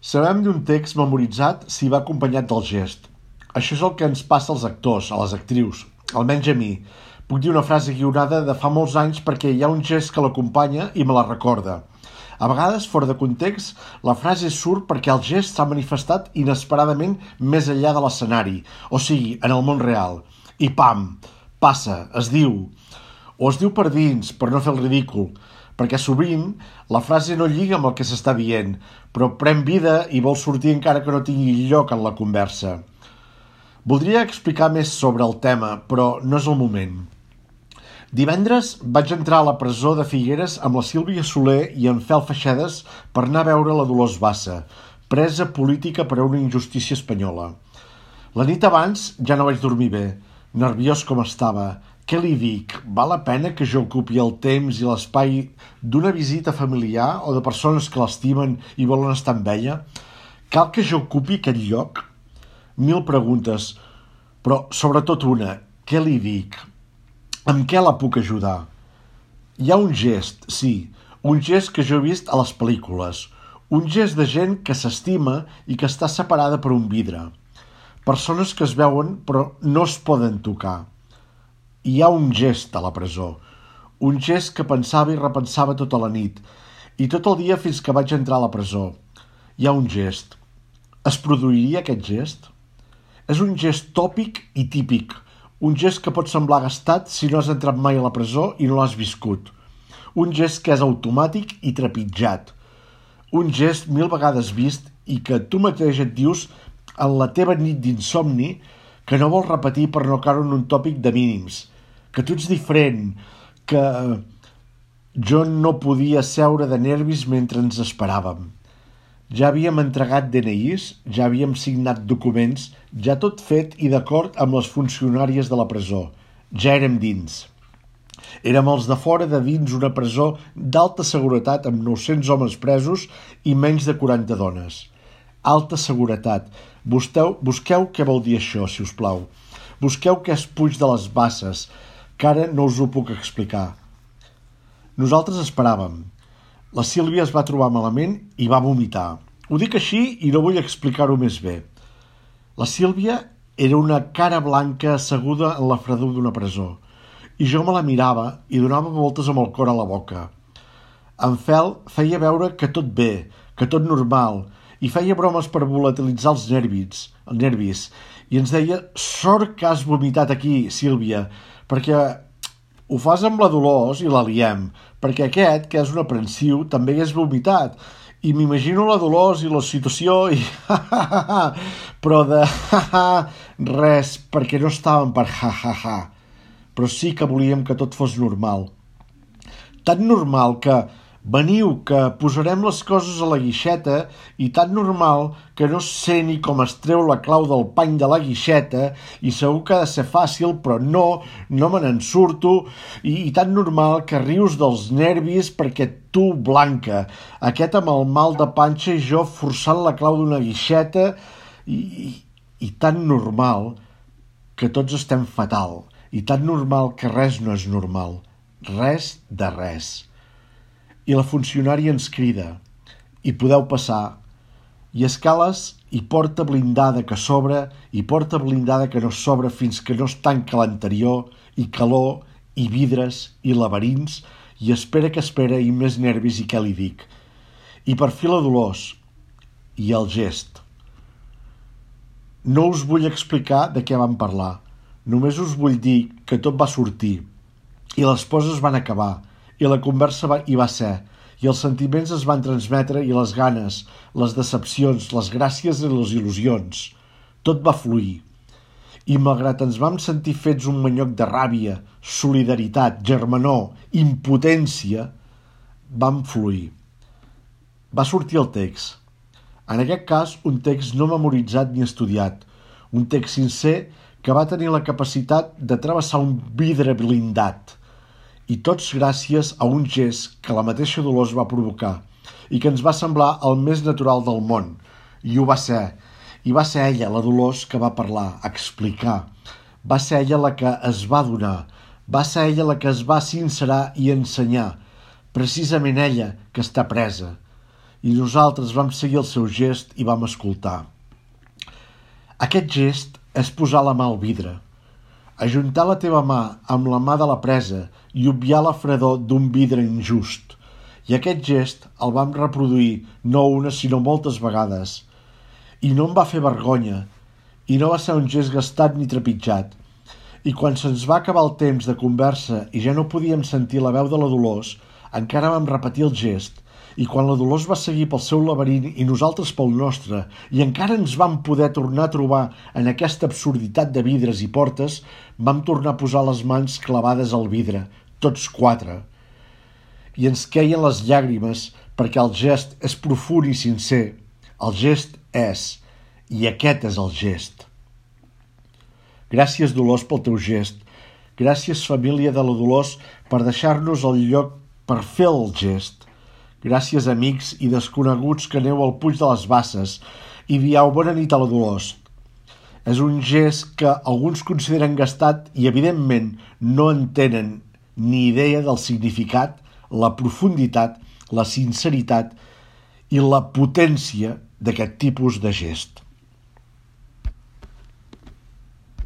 Sabem d'un text memoritzat si va acompanyat del gest. Això és el que ens passa als actors, a les actrius, almenys a mi. Puc dir una frase guionada de fa molts anys perquè hi ha un gest que l'acompanya i me la recorda. A vegades, fora de context, la frase surt perquè el gest s'ha manifestat inesperadament més enllà de l'escenari, o sigui, en el món real. I pam! Passa, es diu. O es diu per dins, per no fer el ridícul, perquè sovint la frase no lliga amb el que s'està dient, però pren vida i vol sortir encara que no tingui lloc en la conversa. Voldria explicar més sobre el tema, però no és el moment. Divendres vaig entrar a la presó de Figueres amb la Sílvia Soler i en Fel Feixedes per anar a veure la Dolors Bassa, presa política per a una injustícia espanyola. La nit abans ja no vaig dormir bé, nerviós com estava. Què li dic? Val la pena que jo ocupi el temps i l'espai d'una visita familiar o de persones que l'estimen i volen estar amb ella? Cal que jo ocupi aquest lloc? 1000 preguntes, però sobretot una, què li dic? Amb què la puc ajudar? Hi ha un gest, sí, un gest que jo he vist a les pel·lícules, un gest de gent que s'estima i que està separada per un vidre. Persones que es veuen però no es poden tocar. Hi ha un gest a la presó, un gest que pensava i repensava tota la nit, i tot el dia fins que vaig entrar a la presó. Hi ha un gest. Es produiria aquest gest? És un gest tòpic i típic, un gest que pot semblar gastat si no has entrat mai a la presó i no l'has viscut. Un gest que és automàtic i trepitjat. Un gest 1000 vegades vist i que tu mateix et dius en la teva nit d'insomni que no vols repetir per no caure en un tòpic de mínims, que tu ets diferent, que jo no podia seure de nervis mentre ens esperàvem. Ja havíem entregat DNIs, ja havíem signat documents, ja tot fet i d'acord amb les funcionàries de la presó. Ja érem dins. Érem els de fora de dins una presó d'alta seguretat amb 900 homes presos i menys de 40 dones. Alta seguretat. Busqueu què vol dir això, si us plau. Busqueu què és Puig de les Basses, que ara no us ho puc explicar. Nosaltres esperàvem. La Sílvia es va trobar malament i va vomitar. Ho dic així i no vull explicar-ho més bé. La Sílvia era una cara blanca asseguda en la fredor d'una presó i jo me la mirava i donava voltes amb el cor a la boca. En Fel feia veure que tot bé, que tot normal, i feia bromes per volatilitzar els nervis, i ens deia: sort que has vomitat aquí, Sílvia, perquè ho fas amb la Dolors i la liem, perquè aquest, que és un aprensiu, també hagués vomitat, i m'imagino la Dolors i la situació i però de res, perquè no estàvem per però sí que volíem que tot fos normal. Tan normal que veniu, que posarem les coses a la guixeta, i tan normal que no sé ni com es treu la clau del pany de la guixeta i segur que ha de ser fàcil, però no me n'en surto, i tan normal que rius dels nervis perquè tu, Blanca, aquest amb el mal de panxa i jo forçant la clau d'una guixeta, i tan normal que tots estem fatal, i tan normal que res no és normal, res de res. I la funcionària ens crida: i podeu passar. I escales i porta blindada que s'obre i porta blindada que no s'obre fins que no es tanca l'anterior, i calor, i vidres, i laberints, i espera que espera, i més nervis, i què li dic. I per fi la Dolors. I el gest. No us vull explicar de què vam parlar. Només us vull dir que tot va sortir, i les poses van acabar, i la conversa hi va ser, i els sentiments es van transmetre, i les ganes, les decepcions, les gràcies i les il·lusions. Tot va fluir. I malgrat ens vam sentir fets un manyoc de ràbia, solidaritat, germanor, impotència, vam fluir. Va sortir el text. En aquest cas, un text no memoritzat ni estudiat, un text sincer que va tenir la capacitat de travessar un vidre blindat, i tots gràcies a un gest que la mateixa Dolors va provocar i que ens va semblar el més natural del món. I ho va ser. I va ser ella, la Dolors, que va parlar, explicar. Va ser ella la que es va donar. Va ser ella la que es va sincerar i ensenyar. Precisament ella, que està presa. i nosaltres vam seguir el seu gest i vam escoltar. Aquest gest és posar la mà al vidre, ajuntar la teva mà amb la mà de la presa i obviar la fredor d'un vidre injust. I aquest gest el vam reproduir no una sinó moltes vegades. I no em va fer vergonya, i no va ser un gest gastat ni trepitjat. I quan se'ns va acabar el temps de conversa i ja no podíem sentir la veu de la Dolors, encara vam repetir el gest, i quan la Dolors va seguir pel seu laberint i nosaltres pel nostre, i encara ens vam poder tornar a trobar en aquesta absurditat de vidres i portes, vam tornar a posar les mans clavades al vidre, tots quatre. I ens queien les llàgrimes perquè el gest és profund i sincer. El gest és, i aquest és el gest. Gràcies, Dolors, pel teu gest. Gràcies, família de la Dolors, per deixar-nos el lloc per fer el gest. Gràcies, amics i desconeguts que aneu al Puig de les Basses i dieu bona nit a la Dolors. És un gest que alguns consideren gastat i, evidentment, no en tenen ni idea del significat, la profunditat, la sinceritat i la potència d'aquest tipus de gest.